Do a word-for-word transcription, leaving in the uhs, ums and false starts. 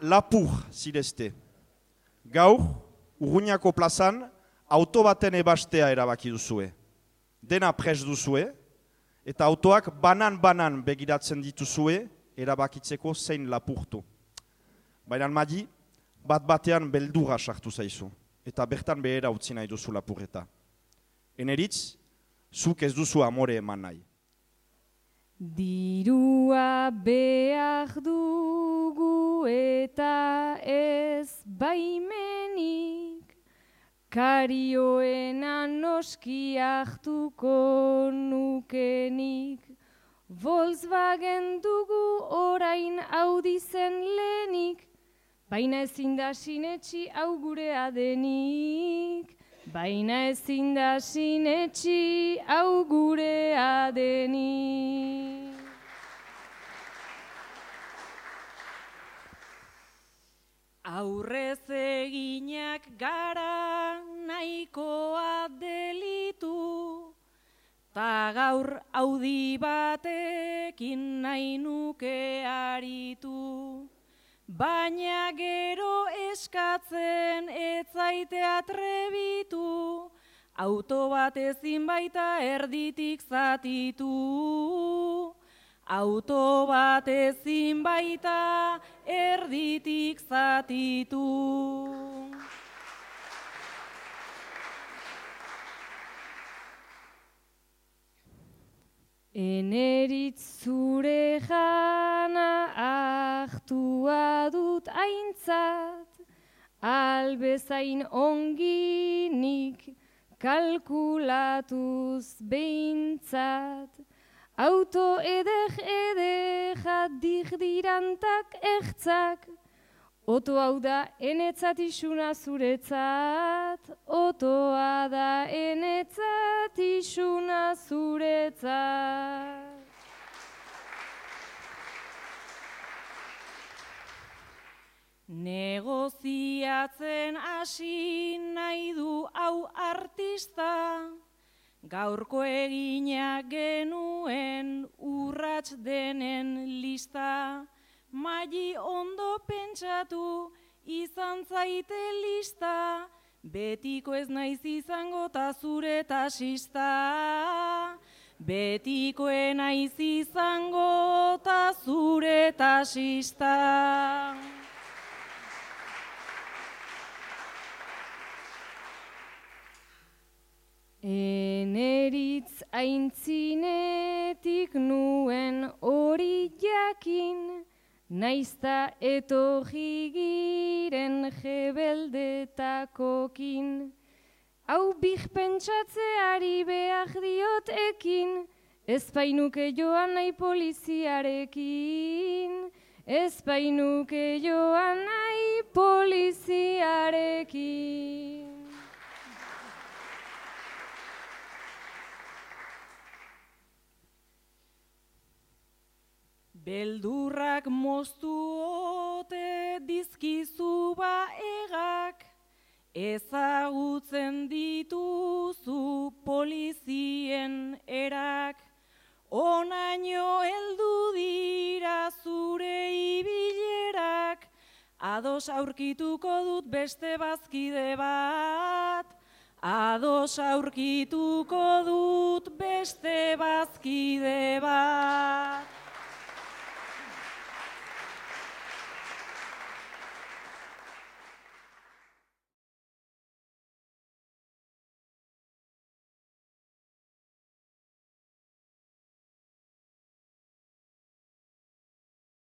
lapur zirezte. Gaur, Urruñako plazan, auto baten ebastea erabaki duzue. Dena pres duzue, eta autoak banan-banan begiratzen dituzue, erabakitzeko zein lapurtu. Baina Madi, bat batean beldurra sartu zaizu, eta bertan behera utzi nahi duzu lapurreta. Eneritz, zuk ez duzu amore eman nahi. Dirua behar dugu eta ez baimenik, karioena noski hartuko nukenik. Volkswagen dugu orain Audi zen lehenik, baina ezin da sinetxi hau gurea denik. Baina ezin da sinetxi hau gurea denik. Aurrez eginak gara nahikoa delitu, ta gaur Audi batekin nahi nuke aritu. Baina gero eskatzen ez zaite atrebitu, auto bat ezin baita erditik zatitu. Auto bat ezin baita erditik zatitu. Eneritz zure jana hartua dut aintzat, albezain onginik kalkulatuz behintzat. Auto edek edek dirdirantak ertzak, oto hau da enetzat isuna zuretzat, otoa da enetzat isuna zuretzat. Negoziatzen hasi nahi du hau artista, gaurko eginak genuen urrats denen lista. Madi ondo pentsatu izan zaite lista, betiko ez naiz izango ta zure tasista. Betiko ez naiz izango ta zure tasista. Eneritz aintzinetik nuen hori jakin, naizta etorri giren jebeldetakokin. Hau bih pentsatzeari behar diot ekin, ez bainuke joan nahi poliziarekin. Ez bainuke joan nahi poliziarekin. Beldurrak moztu ote dizkizu baegak, ezagutzen dituzu polizien erak. Onaino heldu dira zure ibilerak, ados aurkituko dut beste bazkide bat. Ados aurkituko dut beste bazkide bat.